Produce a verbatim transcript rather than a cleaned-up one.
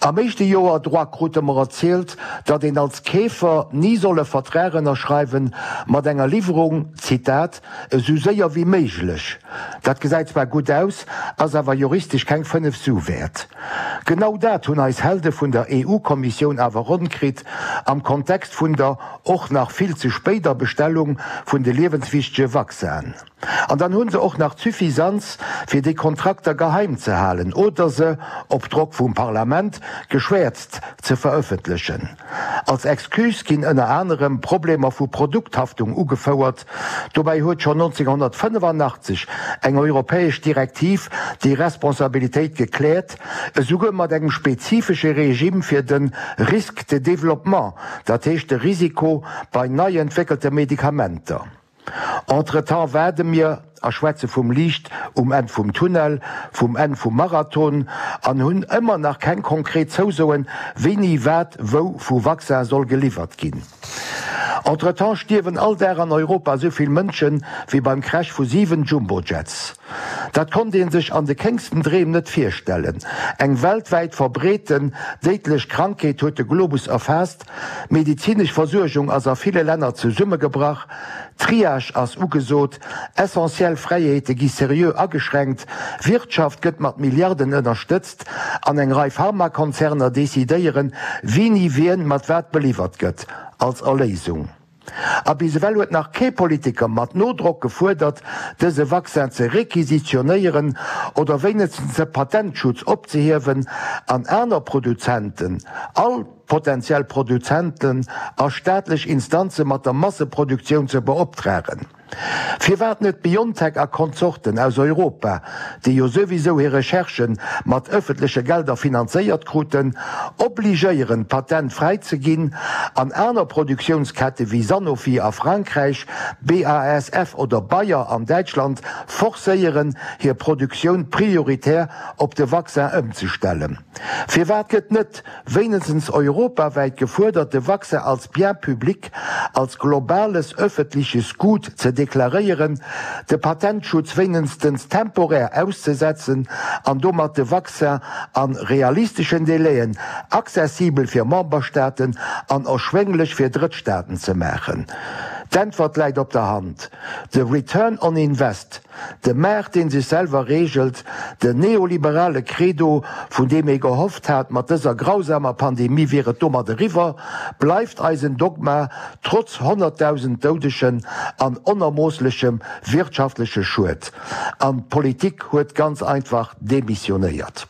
Am éischte Joer Droit krute mer erzielt, datt een als Keefer ni soll e Vertrag ënnerschreiwen mat enger Liwwerung, Zitat, esou séier wéi méiglech. Dat gesäit zwar gutt aus, ass awer juristesch keng fënnef Su wäert. Genau dat hunn eis Helde vun der E U-Kommissioun awer ronn kritt am Kontext vun der och nach vill ze spéider Bestellung vun de liewenswichtege Vaccinen. An dann hu se och nach d'Suffisanz, fir déi Kontrakter geheim ze halen oder se, op Drock vum Parlament, geschwäerzt ze verëffentlechen. Als Excuse ginn ënner anerem Problemer vu Produkthaftung ugefouert. Dobäi huet schonn nonzénghonnertfënnefannachtzeg eng europäesch Direktiv déi Responsabilitéit gekläert, esouguer mat engem spezifesche Regime fir de Risque de développement, dat heescht de Risiko bei nei entwéckelte Medikamenter. Entretemps waarde mir a schwätze vum Liicht um Enn vum Tunnel, vum Enn vum Marathon, an hunn ëmmer nach keng konkret Zousoen, wéini wat wou vu Vaccin soll geliwwert ginn. Entretemps stierwen all Dag an Europa esou vill Mënschen, wéi beim Crash vu siwen Jumbojets. Dat konnt ee sech an de kéngsten Dreem net virstellen. Eng weltwäit verbreeten, déidlech Krankheet huet de Globus erfaasst, d'medezinesch Versuergung ass a ville Länner zesummegebrach, Triage ass ugesot, essentiell Fräiheete gi seriö ageschränkt, d'Wirtschaft gëtt mat Milliarden ënnerstëtzt an eng Rei Pharmakonzerner decidéieren, wini wien mat wat beliwwert gëtt, als Erléisung. A bis ewell huet nach kee Politiker mat Nodrock gefuerdert, dëse Vaccin ze requisitionéieren oder wéinegstens de Patentschutz opzehiewen an aner Produzenten, all potentiell Produzenten a staatlech Instanze mat der Masseproduktioun ze beoptragen. Firwat net BioNTech a Konsorten aus Europa, déi jo souwisou hir Recherchen mat ëffentleche Gelder finanzéiert kruten, obligéieren d'Patent fräi ze ginn an aner Produktiounskette wéi Sanofi a Frankräich, B A S F oder Bayer an Däitschland forcéieren, hir Produktioun prioritär op de Vaccin ëmzestellen? Firwat gëtt net wéinegstens europawäit gefuerdert, de Vaccin als Bien public, als globales öffentliches Gut ze deklaréieren, de Patentschutz wéinegstens temporär auszesetzen an domat de Vaccin a realisteschen Délaiën accessibel fir Memberstaaten an erschwénglech fir Drëttstaaten ze maachen? D'Äntwert läit op der Hand, de Return on Invest, de Maart dee sech selwer reegelt, den neoliberale Credo, vun deem ee gehofft hat, mat dëser grausamer Pandemie wier et domat eriwwer, bleift eisen Dogma, trotz honnertdausend Doudegen an onermoosslechem wirtschaftleche Schued. An d'Politik huet ganz einfach demissionéiert.